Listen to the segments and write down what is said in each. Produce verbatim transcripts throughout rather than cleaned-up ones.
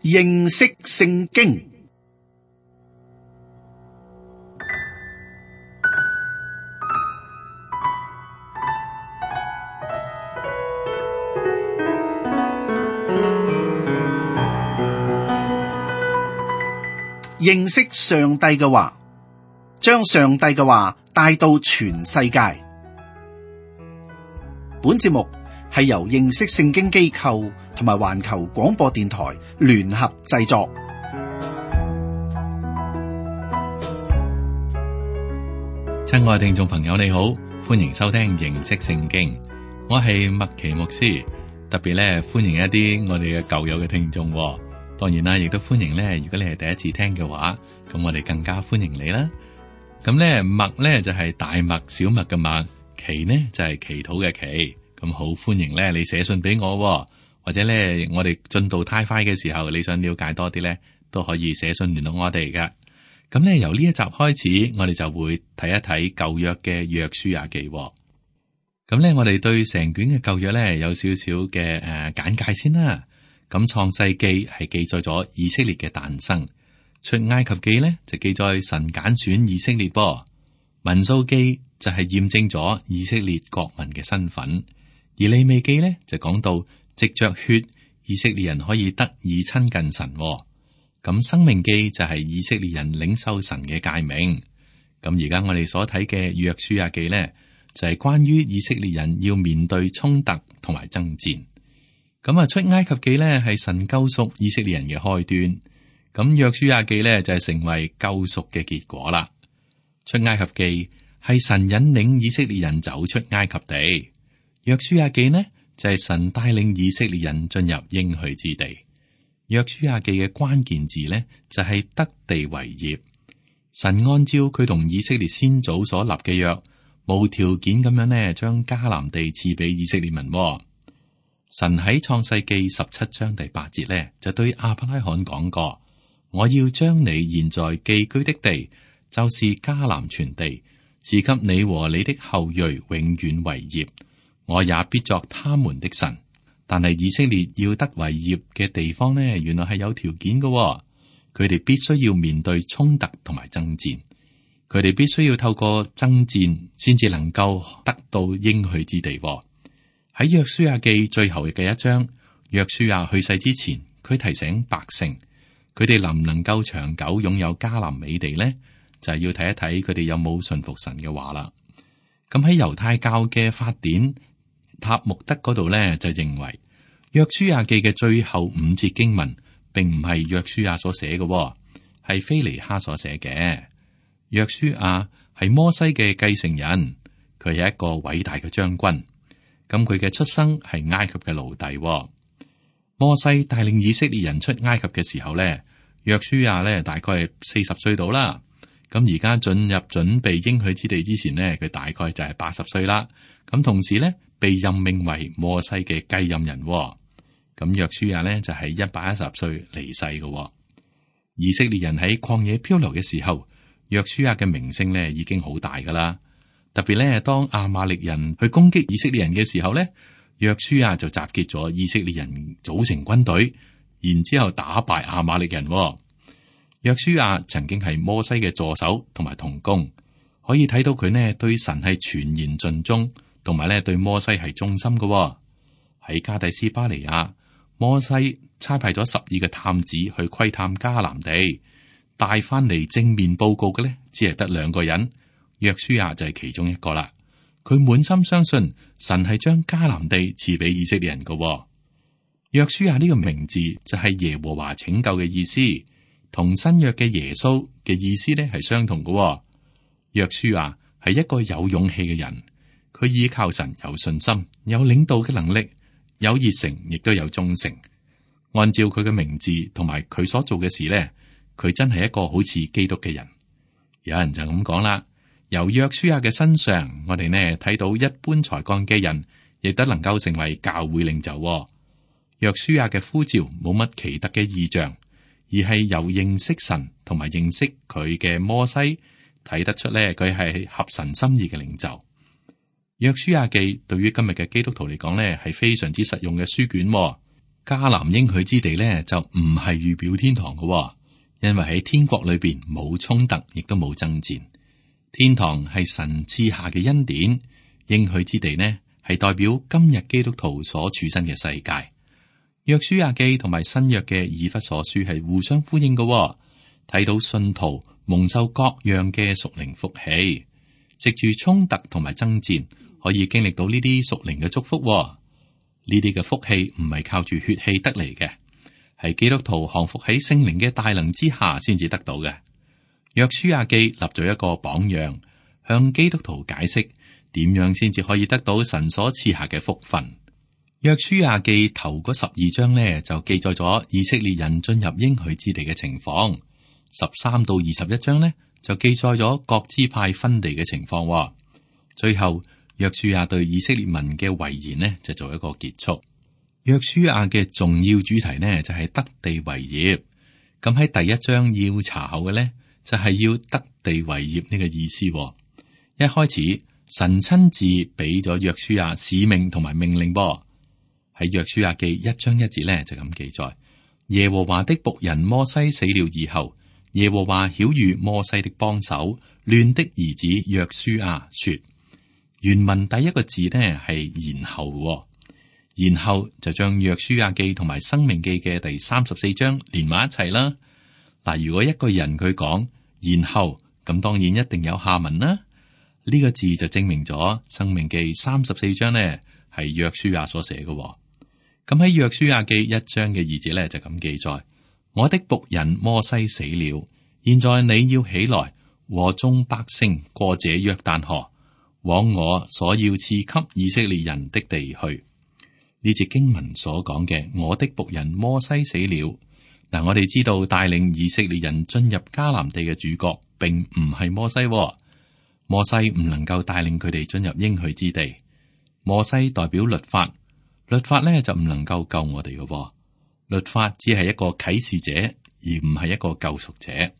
認識聖經。認識上帝嘅話，將上帝嘅話帶到全世界。本節目係由認識聖經機構同埋環球廣播電台聯合製作。親愛聽眾朋友，你好，歡迎收聽認識聖經。我係麥奇牧師，特別咧歡迎一啲我哋嘅舊友嘅聽眾。當然啦，亦都歡迎咧。如果你係第一次聽嘅話，咁我哋更加歡迎你啦。咁咧麥咧就係大麥、小麥嘅麥，祈呢就係祈禱嘅祈。咁好歡迎咧，你寫信俾我，或者咧我哋進度太快嘅時候，你想了解多啲咧，都可以寫信聯絡我哋噶。咁咧由呢一集開始，我哋就會睇一睇舊約嘅約書亞記。咁咧我哋對成卷嘅舊約咧有少少嘅誒簡介先啦。咁創世記係記載咗以色列嘅誕生，出埃及記咧就記載神揀選以色列噃，民數記就係驗證咗以色列國民嘅身份，而利未記咧就講到藉着血以色列人可以得以親近神。咁申命記就係以色列人領受神嘅誡命。咁而家我哋所睇嘅約書亞記咧就係關於以色列人要面對衝突同埋爭戰。咁啊，出埃及記咧係神救贖以色列人嘅開端，咁約書亞記咧就係成為救贖嘅結果啦。出埃及記係神引領以色列人走出埃及地，約書亞記呢就係神帶領以色列人進入應許之地。約書亞記嘅關鍵字呢就係得地為業，神按照佢同以色列先祖所立嘅約，無條件咁樣呢將迦南地賜俾以色列民。神喺創世記十七章第八節咧，就對亞伯拉罕講過：我要將你現在寄居的地，就是迦南全地，賜給你和你的後裔永遠為業。我也必作他們的神。但係以色列要得為業嘅地方呢，原來係有條件嘅。佢哋必須要面對衝突同埋爭戰，佢哋必須要透過爭戰先至能夠得到應許之地。喺約書亞記最後嘅一章，約書亞去世之前，佢提醒百姓，佢哋能唔能夠長久擁有迦南美地呢？就係要睇一睇佢哋有冇順服神嘅話啦。咁喺猶太教嘅法典塔木德嗰度咧，就認為約書亞記嘅最後五節經文，並唔係約書亞所寫嘅，係非尼哈所寫嘅。約書亞係摩西嘅繼承人，佢係一個偉大嘅將軍。咁佢嘅出生係埃及嘅奴隸。摩西帶領以色列人出埃及嘅時候咧，約書亞咧大概係四十歲到啦。咁而家進入準備應許之地之前呢，佢大概就係八十歲啦。咁同時咧被任命為摩西嘅繼任人。咁約書亞咧就係一百一十歲離世嘅。以色列人喺曠野漂流嘅時候，約書亞嘅名聲咧已經好大噶啦。特別咧，當亞瑪力人去攻擊以色列人嘅時候咧，約書亞就集結咗以色列人組成軍隊，然之後打敗亞瑪力人。約書亞曾經係摩西嘅助手同埋同工，可以睇到佢呢對神係全然盡忠，同埋咧對摩西係忠心嘅。喺加第斯巴尼亞，摩西差派咗十二個探子去窺探迦南地，帶翻嚟正面報告嘅咧，只係得兩個人。約書亞就係其中一個啦，佢滿心相信神係將迦南地賜俾以色列人嘅。約書亞呢個名字就係耶和華拯救嘅意思，同新約嘅耶穌嘅意思咧係相同嘅。約書亞係一個有勇氣嘅人，佢依靠神有信心，有領導嘅能力，有熱誠，亦都有忠誠。按照佢嘅名字同埋佢所做嘅事咧，佢真係一個好似基督嘅人。有人就咁講啦。由約書亞嘅身上，我哋呢睇到一般才幹嘅人，亦都能夠成為教會領袖。約書亞嘅呼召冇乜奇特嘅異象，而係由認識神同埋認識佢嘅摩西睇得出咧，佢係合神心意嘅領袖。約書亞記對於今日嘅基督徒嚟講咧，係非常之實用嘅書卷。迦南應許之地咧就唔係預表天堂嘅，因為喺天國裏邊冇衝突，亦都冇爭戰。天堂係神賜下嘅恩典，應許之地呢係代表今日基督徒所處身嘅世界。約書亞記同埋新約嘅以弗所書係互相呼應嘅，睇到信徒蒙受各樣嘅屬靈福氣，藉住衝突同埋爭戰，可以經歷到呢啲屬靈嘅祝福。呢啲嘅福氣唔係靠住血氣得嚟嘅，係基督徒降服喺聖靈嘅大能之下先至得到嘅。約書亞記立咗一個榜樣，向基督徒解釋點樣先至可以得到神所賜下嘅福分。約書亞記頭嗰十二章呢，就記載咗以色列人進入應許之地嘅情況，十三到二十一章呢，就記載咗各支派分地嘅情況。最後約書亞對以色列民嘅遺言呢，就做一個結束。約書亞嘅重要主題呢，就係得地為業。咁喺第一章要查考嘅呢，就係要得地為業呢個意思。一開始神親自俾咗約書亞使命同埋命令噃。喺約書亞記一章一節呢，就咁記載：耶和華的僕人摩西死了以後，耶和華曉諭摩西的幫手亂的兒子約書亞說。原文第一個字呢係然後，然後就將約書亞記同埋申命記嘅第三十四章連埋一齊啦。嗱，如果一個人佢講然後，咁當然一定有下文啦。呢、這個字就證明咗申命記三十四章呢係約書亞所寫嘅。咁喺約書亞記一章嘅二節咧就咁記載：我的僕人摩西死了，現在你要起來和眾百姓過這約旦河，往我所要賜給以色列人的地去。呢節經文所講嘅我的僕人摩西死了，嗱，我哋知道帶領以色列人進入迦南地嘅主角並唔係摩西，摩西唔能夠帶領佢哋進入應許之地。摩西代表律法，律法咧就唔能夠救我哋嘅，律法只係一個啟示者，而唔係一個救贖者。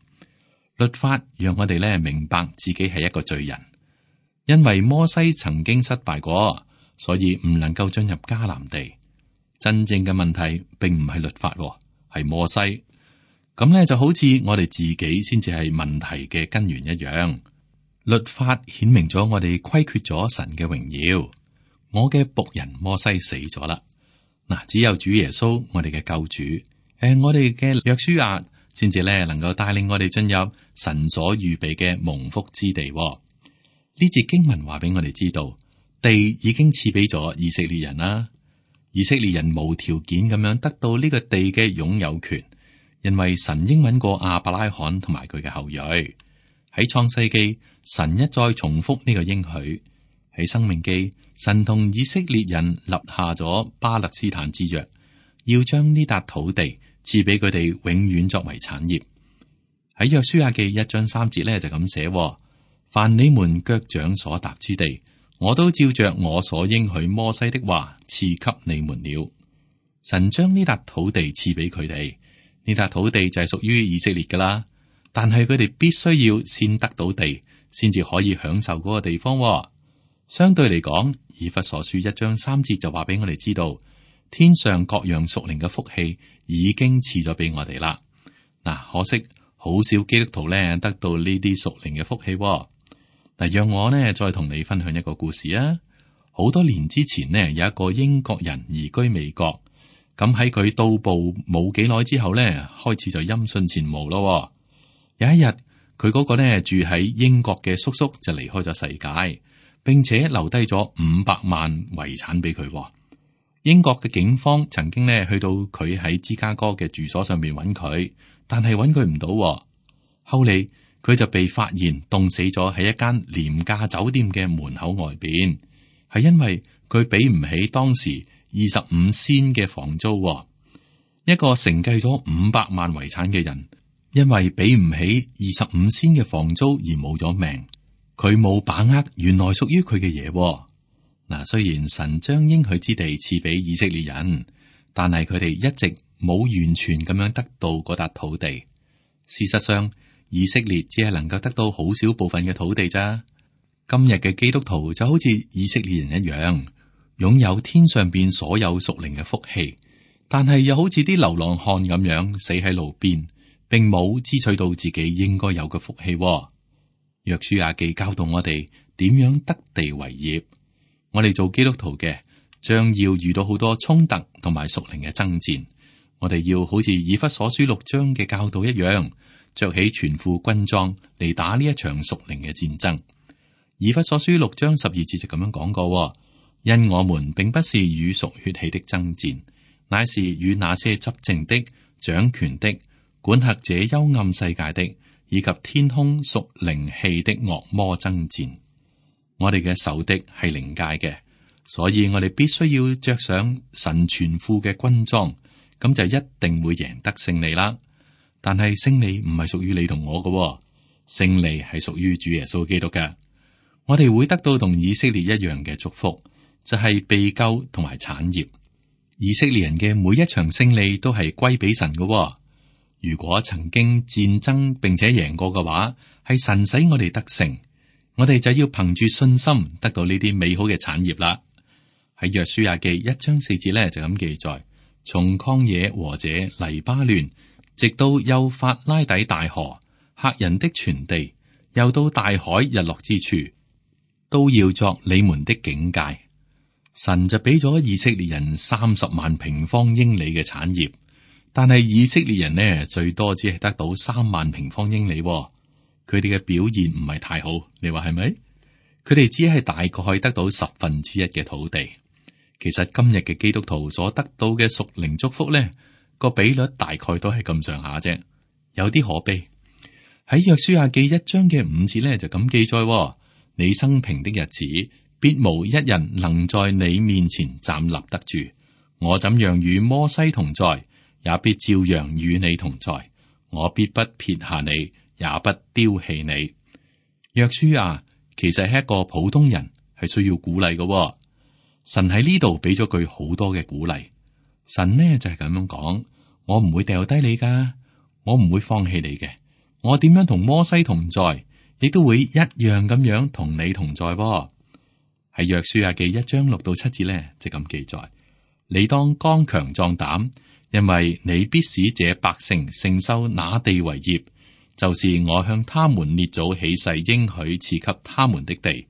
律法讓我哋咧明白自己係一個罪人。因為摩西曾經失敗過，所以唔能夠進入迦南地。真正嘅問題並唔係律法，係摩西。咁咧就好似我哋自己先至係問題嘅根源一樣。律法顯明咗我哋虧缺咗神嘅榮耀。我嘅僕人摩西死咗啦，嗱，只有主耶穌我哋嘅救主，誒、呃，我哋嘅約書亞先至咧能夠帶領我哋進入神所預備嘅蒙福之地。呢節經文話俾我哋知道，地已經賜俾咗以色列人啦。以色列人無條件咁樣得到呢個地嘅擁有權，因為神應允過亞伯拉罕同埋佢嘅後裔。喺創世記，神一再重複呢個應許；喺申命記，神同以色列人立下咗巴勒斯坦之約，要將呢笪土地賜俾佢哋永遠作為產業。喺約書亞記一章三節咧就咁寫。凡你們腳掌所踏之地，我都照着我所應許摩西的話賜給你們了。神將呢笪土地賜俾佢哋，呢笪土地就係屬於以色列噶啦。但係佢哋必須要先得到地，先至可以享受嗰個地方。相對嚟講，以弗所書一章三節就話俾我哋知道，天上各樣屬靈嘅福氣已經賜咗俾我哋啦。嗱，可惜好少基督徒咧得到呢啲屬靈嘅福氣。嗱，讓我呢再同你分享一個故事啊！好多年之前呢，有一個英國人移居美國，咁喺佢到步冇幾耐之後呢，開始就音訊全無咯。有一日，佢嗰個呢住喺英國嘅叔叔就離開咗世界，並且留低咗五百萬遺產俾佢。英國嘅警方曾經呢去到佢喺芝加哥嘅住所上面揾佢，但係揾佢唔到。後嚟，佢就被發現凍死咗喺一間廉價酒店嘅門口外邊，係因為佢俾唔起當時二十五仙嘅房租。一個承繼咗五百萬遺產嘅人，因為俾唔起二十五仙嘅房租而冇咗命。佢冇把握原來屬於佢嘅嘢。嗱，雖然神將應許之地賜俾以色列人，但係佢哋一直冇完全咁樣得到嗰笪土地。事實上，以色列只係能夠得到好少部分嘅土地咋。今日嘅基督徒就好似以色列人一樣，擁有天上邊所有屬靈嘅福氣，但係又好似啲流浪漢咁樣死喺路邊，並冇支取到自己應該有嘅福氣。約書亞記教導我哋點樣得地為業。我哋做基督徒嘅，將要遇到好多衝突同埋屬靈嘅爭戰。我哋要好似以弗所書六章嘅教導一樣，着起全副軍裝嚟打呢一場屬靈嘅戰爭。以弗所書六章十二節就咁樣講過：因我們並不是與屬血氣的爭戰，乃是與那些執政的、掌權的、管轄這幽暗世界的，以及天空屬靈氣的惡魔爭戰。我哋嘅仇敵係靈界嘅，所以我哋必須要着上神全副嘅軍裝，咁就一定會贏得勝利啦。但係勝利唔係屬於你同我嘅，勝利係屬於主耶穌基督嘅。我哋會得到同以色列一樣嘅祝福，就係被救同埋產業。以色列人嘅每一場勝利都係歸俾神嘅。如果曾經戰爭並且贏過嘅話，係神使我哋得勝。我哋就要憑住信心得到呢啲美好嘅產業啦。喺約書亞記一章四節咧就咁記載：從曠野和這黎巴嫩，直到幼發拉底大河、赫人的全地，又到大海日落之處，都要作你們的境界。神就俾咗以色列人三十萬平方英里嘅產業，但係以色列人呢，最多只係得到三萬平方英里。佢哋嘅表現唔係太好，你話係咪？佢哋只係大概得到十分之一嘅土地。其實今日嘅基督徒所得到嘅屬靈祝福呢，個比率大概都係咁上下啫，有啲可悲。喺約書亞記一章嘅五節呢，就咁記載：你生平的日子，必無一人能在你面前站立得住。我怎樣與摩西同在，也必照樣與你同在。我必不撇下你，也不丟棄你。約書亞其實係一個普通人，係需要鼓勵嘅。神喺呢度俾咗佢好多嘅鼓勵。神呢就係咁樣講：我唔會掉低你噶，我唔會放棄你嘅。我點樣同摩西同在，亦都會一樣咁樣同你同在。喺約書亞記一章六到七節呢，就咁記載：你當剛強壯膽，因為你必使這百姓承受那地為業，就是我向他們列祖起誓應許賜給他們的地。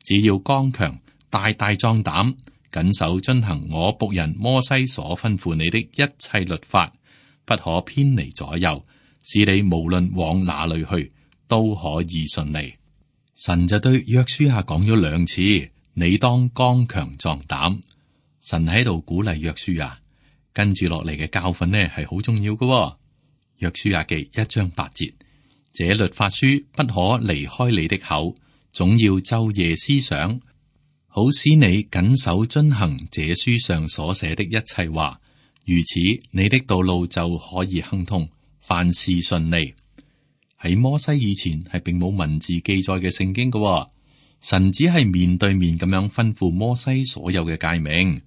只要剛強，大大壯膽，謹守遵行我僕人摩西所吩咐你的一切律法，不可偏離左右，使你無論往哪裏去都可以順利。神就對約書亞講咗兩次：你當剛強壯膽。神喺度鼓勵約書亞，跟住落嚟嘅教訓呢係好重要嘅。約書亞記一章八節：這律法書不可離開你的口，總要晝夜思想，好使你謹守遵行這書上所寫的一切話。如此，你的道路就可以亨通，凡事順利。喺摩西以前係並冇文字記載嘅聖經嘅，神只係面對面咁樣吩咐摩西所有嘅誡命。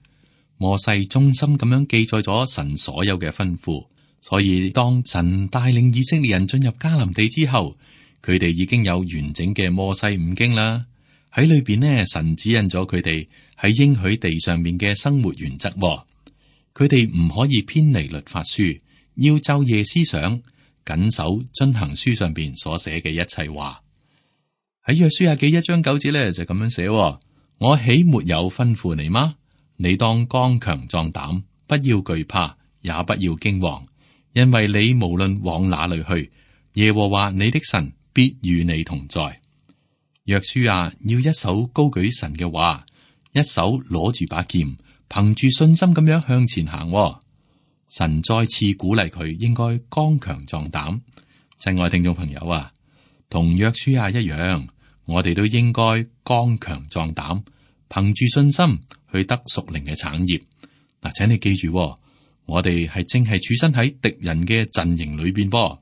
摩西忠心咁樣記載咗神所有嘅吩咐，所以當神帶領以色列人進入迦南地之後，佢哋已經有完整嘅摩西五經啦。喺裏邊呢，神指引咗佢哋喺應許地上面嘅生活原則。佢哋唔可以偏離律法書，要晝夜思想，謹守遵行書上邊所寫嘅一切話。喺約書亞記一章九節咧就咁樣寫：我豈沒有吩咐你嗎？你當剛強壯膽，不要懼怕，也不要驚惶，因為你無論往哪裏去，耶和華你的神必與你同在。約書亞要一手高舉神嘅話，一手攞住把劍，憑住信心咁樣向前行。神再次鼓勵佢應該剛強壯膽。親愛聽眾朋友啊，同約書亞一樣，我哋都應該剛強壯膽，憑住信心去得屬靈嘅產業。嗱，請你記住，我哋係正係處身喺敵人嘅陣營裏邊噃。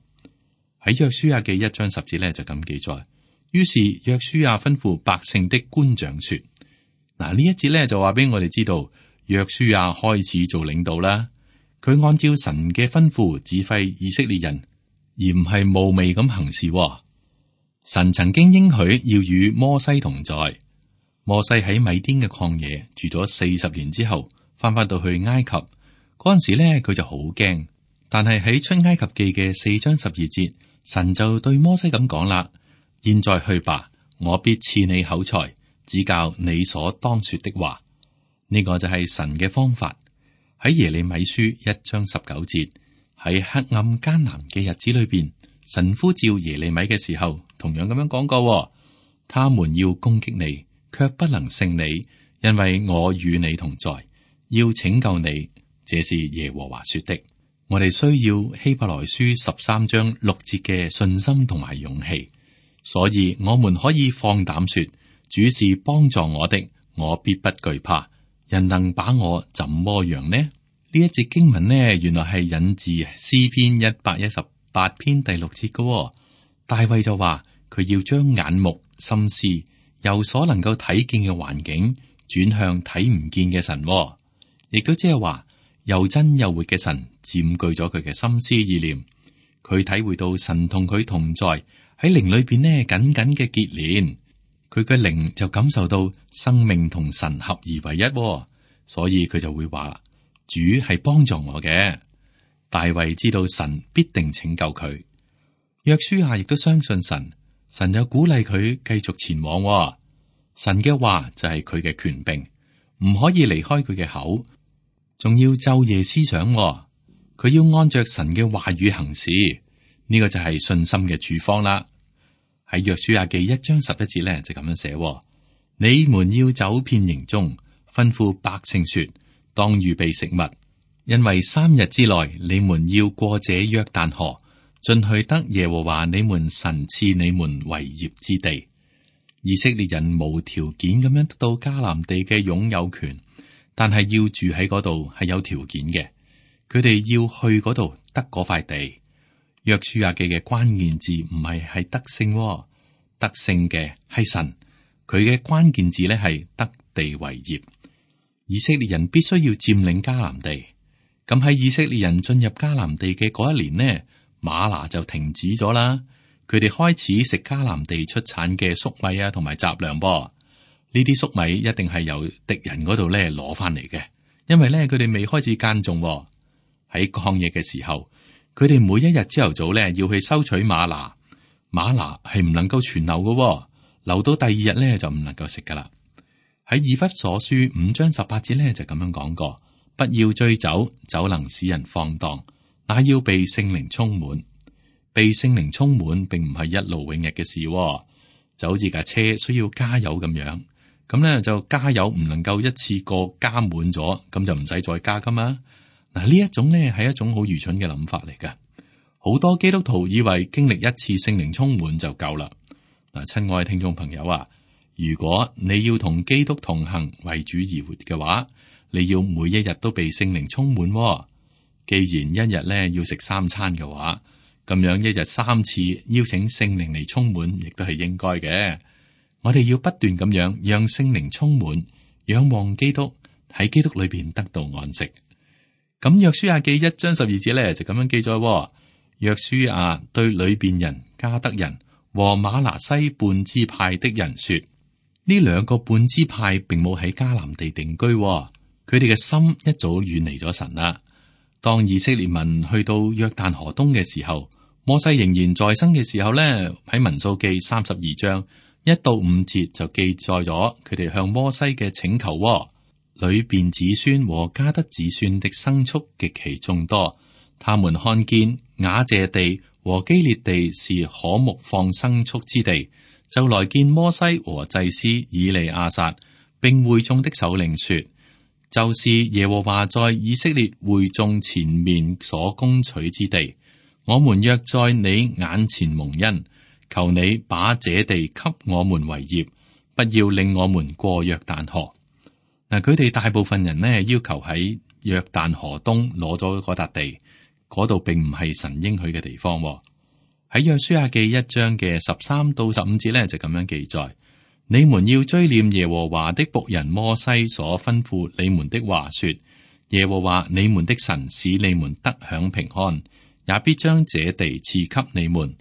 喺約書亞記一章十節咧就咁記載。於是約書亞吩咐百姓的官長說：嗱，呢一節咧就話俾我哋知道，約書亞開始做領導啦。佢按照神嘅吩咐指揮以色列人，而唔係冒昧咁行事。神曾經應許要與摩西同在。摩西喺米甸嘅曠野住咗四十年之後，翻返到去埃及，嗰陣時咧，佢就好驚。但係喺出埃及記嘅四章十二節，神就對摩西咁講啦：現在去吧，我必賜你口才，指教你所當說的話。呢、這個就係神嘅方法。喺耶利米書一章十九節，喺黑暗艱難嘅日子裏邊，神呼召耶利米嘅時候，同樣咁樣講過：他們要攻擊你，卻不能勝你，因為我與你同在，要拯救你。這是耶和華說的。我哋需要希伯來書十三章六節嘅信心同埋勇氣，所以我們可以放膽說：主是幫助我的，我必不懼怕。人能把我怎麼樣呢？呢一節經文呢，原來係引自詩篇一百一十八篇第六節嘅、哦。大衛就話佢要將眼目、心思由所能夠睇見嘅環境轉向睇唔見嘅神、哦，亦都即係話又真又活嘅神佔據咗佢嘅心思意念。佢體會到神同佢同在，喺靈裏邊呢緊緊嘅結連。佢嘅靈就感受到生命同神合而為一、哦，所以佢就會話主係幫助我嘅。大衛知道神必定拯救佢。約書亞亦都相信神，神就鼓勵佢繼續前往、哦。神嘅話就係佢嘅權柄，唔可以離開佢嘅口，仲要晝夜思想、哦。佢要按着神嘅話語行事，呢、這個就係信心嘅處方啦。喺約書亞記一章十一節咧就咁樣寫、哦：你們要走遍營中，吩咐百姓說，當預備食物，因為三日之內你們要過這約旦河，進去得耶和華你們神賜你們為業之地。以色列人無條件咁樣得到迦南地嘅擁有權，但係要住喺嗰度係有條件嘅。佢哋要去嗰度得嗰塊地。約書亞記嘅關鍵字唔係係得勝、哦，得勝嘅係神。佢嘅關鍵字咧係得地為業。以色列人必須要佔領迦南地。咁喺以色列人進入迦南地嘅嗰一年呢，嗎哪就停止咗啦。佢哋開始食迦南地出產嘅粟米啊，同埋雜糧噃。呢啲粟米一定係由敵人嗰度咧攞翻嚟嘅，因為咧佢哋未開始耕種喎。喺曠野嘅時候，佢哋每一日朝頭早咧要去收取嗎哪，嗎哪係唔能夠存留嘅喎，留到第二日咧就唔能夠食噶啦。喺以弗所書五章十八節咧就咁樣講過：不要醉酒，酒能使人放蕩，那要被聖靈充滿。被聖靈充滿並唔係一勞永逸嘅事喎，就好似架車需要加油咁樣。咁咧就加油唔能夠一次過加滿咗，咁就唔使再加噶嘛。嗱，呢一種咧係一種好愚蠢嘅諗法嚟噶。好多基督徒以為經歷一次聖靈充滿就夠啦。嗱，親愛嘅聽眾朋友啊，如果你要同基督同行為主而活嘅話，你要每一日都被聖靈充滿喎。既然一日咧要食三餐嘅話，咁樣一日三次邀請聖靈嚟充滿，亦都係應該嘅。我哋要不斷咁樣讓聖靈充滿，仰望基督，喺基督裏邊得到安息。咁約書亞記一章十二節咧就咁樣記載：約書亞對流便人、迦得人和瑪拿西半支派的人說，呢兩個半支派並冇喺迦南地定居，佢哋嘅心一早遠離咗神啦。當以色列民去到約旦河東嘅時候，摩西仍然在生嘅時候咧，喺民數記三十二章一到五節就記載咗佢哋向摩西嘅請求。流便子孫和迦得子孫的牲畜極其眾多，他們看見雅謝地和基列地是可牧放牲畜之地，就來見摩西和祭司以利亞撒，並會眾的首領說，就是耶和華在以色列會眾前面所攻取之地，我們若在你眼前蒙恩，求你把這地給我們為業，不要令我們過約旦河。嗱，佢哋大部分人呢要求喺約旦河東攞咗嗰笪地，嗰度並唔係神應許嘅地方。喺約書亞記一章嘅十三到十五節呢，就咁樣記載：你們要追念耶和華的僕人摩西所吩咐你們的話說，耶和華你們的神使你們得享平安，也必將這地賜給你們，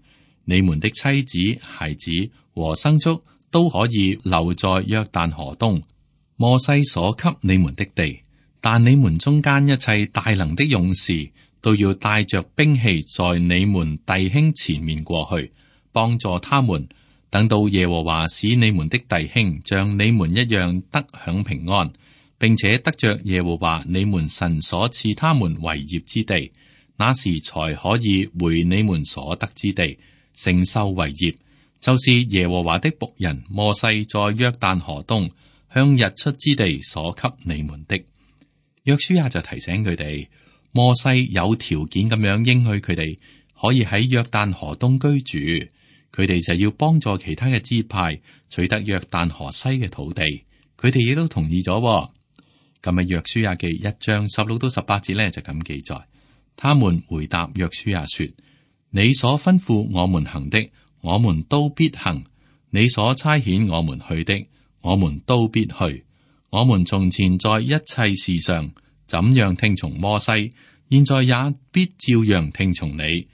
你們的妻子、孩子和牲畜都可以留在約旦河東摩西所給你們的地，但你們中間一切大能的勇士，都要帶着兵器，在你們弟兄前面過去，幫助他們。等到耶和華使你們的弟兄像你們一樣得享平安，並且得着耶和華你們神所賜他們為業之地，那時才可以回你們所得之地，承受為業。就是耶和華的僕人摩西在約旦河東向日出之地所給你們的。約書亞就提醒佢哋，摩西有條件咁樣應許佢哋可以喺約旦河東居住，佢哋就要幫助其他嘅支派取得約旦河西嘅土地，佢哋亦都同意咗。咁啊，約書亞記一章十六到十八節呢，就咁記載，他們回答約書亞說：你所吩咐我們行的，我們都必行；你所差遣我們去的，我們都必去。我們從前在一切事上怎樣聽從摩西，現在也必照樣聽從你。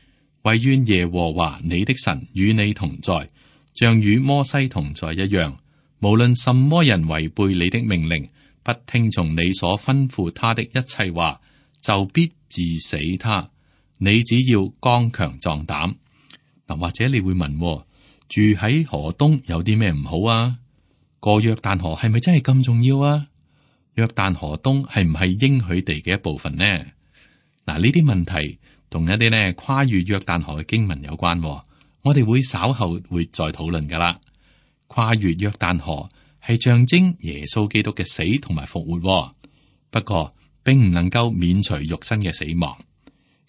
惟願耶和華你的神與你同在，像與摩西同在一樣。無論什麼人違背你的命令，不聽從你所吩咐他的一切話，就必治死他。你只要剛強壯膽。嗱，或者你會問，住喺河東有啲咩唔好啊？過約旦河係咪真係咁重要啊？約旦河東係唔係應許地嘅一部分呢？嗱，呢啲問題同一啲呢跨越約旦河嘅經文有關，我哋會稍後會再討論噶啦。跨越約旦河係象徵耶穌基督嘅死同埋復活，不過並唔能夠免除肉身嘅死亡。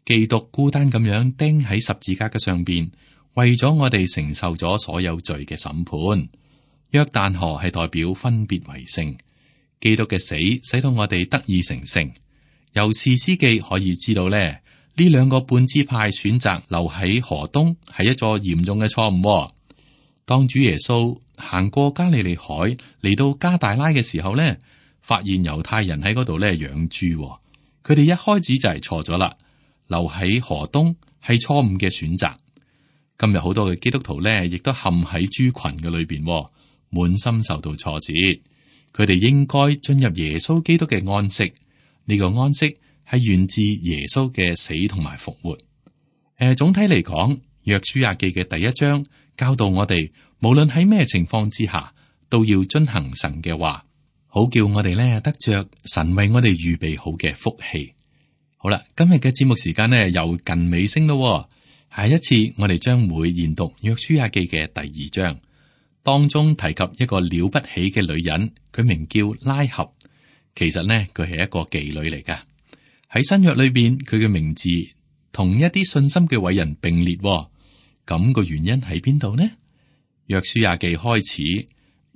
基督孤單咁樣釘喺十字架嘅上邊，為咗我哋承受咗所有罪嘅審判。約旦河係代表分別為聖，基督嘅死使到我哋得以成聖。由士師記可以知道咧，呢兩個半支派選擇留喺河東係一座嚴重嘅錯誤。當主耶穌行過加利利海嚟到加大拉嘅時候咧，發現猶太人喺嗰度咧養豬，佢哋一開始就係錯咗啦，留喺河東係錯誤嘅選擇。今日好多嘅基督徒咧，亦都陷喺豬群嘅裏邊，滿心受到挫折。佢哋應該進入耶穌基督嘅安息，呢個安息係源自耶穌嘅死同埋復活。誒、呃，總體嚟講，約書亞記嘅第一章教導我哋，無論喺咩情況之下，都要遵行神嘅話，好叫我哋咧得着神為我哋預備好嘅福氣。好啦，今日嘅節目時間呢又近尾聲咯。下一次我哋將會研讀約書亞記嘅第二章，當中提及一個了不起嘅女人，佢名叫拉合。其實呢，佢係一個妓女嚟噶。喺新約裏邊，佢嘅名字同一啲信心嘅偉人並列。咁個原因喺邊度呢？約書亞記開始，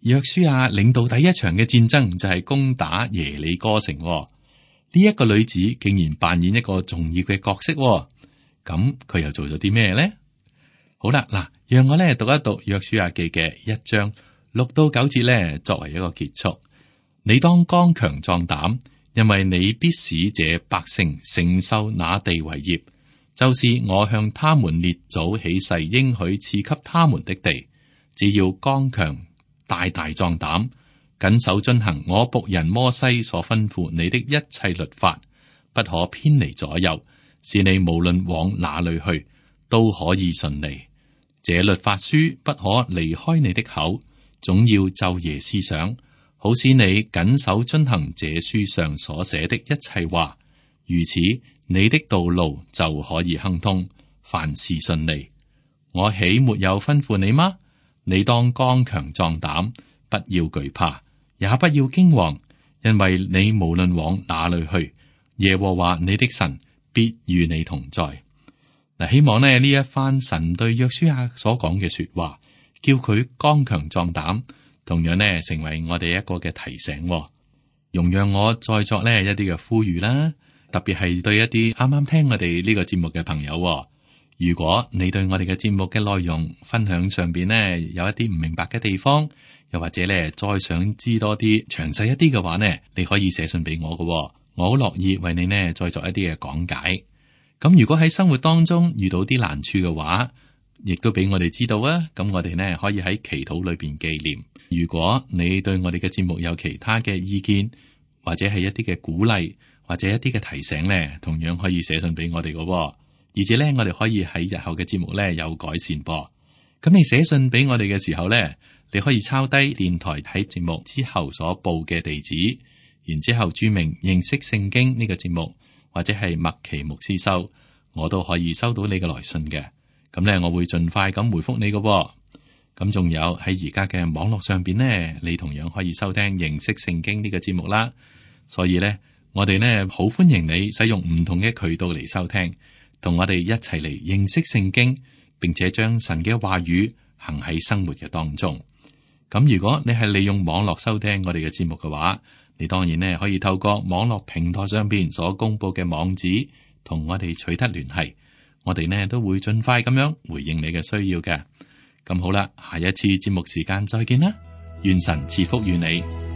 約書亞領導第一場嘅戰爭就係攻打耶利哥城。呢一個女子竟然扮演一個重要嘅角色。咁佢又做咗啲咩呢？好啦，嗱，讓我咧讀一讀約書亞記嘅一章六到九節咧，作為一個結束。你當剛強壯膽，因為你必使這百姓承受那地為業，就是我向他們列祖起誓應許賜給他們的地。只要剛強大大壯膽，謹守遵行我僕人摩西所吩咐你的一切律法，不可偏離左右，使你無論往哪裏去都可以順利。這律法書不可離開你的口，總要晝夜思想，好使你謹守遵行這書上所寫的一切話。如此，你的道路就可以亨通，凡事順利。我豈沒有吩咐你嗎？你當剛強壯膽，不要懼怕，也不要驚惶，因為你無論往哪裏去，耶和華你的神必與你同在。嗱，希望呢呢一番神對約書亞所講嘅說話，叫佢剛強壯膽，同樣呢成為我哋一個嘅提醒。容讓我再作呢一啲嘅呼籲啦，特別係對一啲啱啱聽我哋呢個節目嘅朋友。如果你對我哋嘅節目嘅內容分享上邊呢有一啲唔明白嘅地方，又或者呢再想知多啲詳細一啲嘅話呢，你可以寫信俾我嘅，我好樂意為你呢再作一啲嘅講解。咁如果喺生活當中遇到啲難處嘅話，亦都俾我哋知道啊。咁我哋呢可以喺祈禱裏邊紀念。如果你對我哋嘅節目有其他嘅意見，或者係一啲嘅鼓勵，或者一啲嘅提醒咧，同樣可以寫信俾我哋嘅，而且咧我哋可以喺日後嘅節目咧有改善噃。咁你寫信俾我哋嘅時候咧，你可以抄低電台喺節目之後所報嘅地址，然之後注明認識聖經呢個節目，或者係麥奇牧師收，我都可以收到你嘅來信嘅。咁咧，我會盡快咁回覆你嘅。咁仲有喺而家嘅網絡上邊呢，你同樣可以收聽認識聖經呢個節目啦。所以咧，我哋呢好歡迎你使用唔同嘅渠道嚟收聽，同我哋一齊嚟認識聖經，並且將神嘅話語行喺生活嘅當中。咁如果你係利用網絡收聽我哋嘅節目嘅話，你當然呢可以透過網絡平台上邊所公布嘅網址，同我哋取得聯繫。我哋呢都會盡快咁樣回應你嘅需要嘅。咁好啦，下一次節目時間再見啦，願神賜福於你。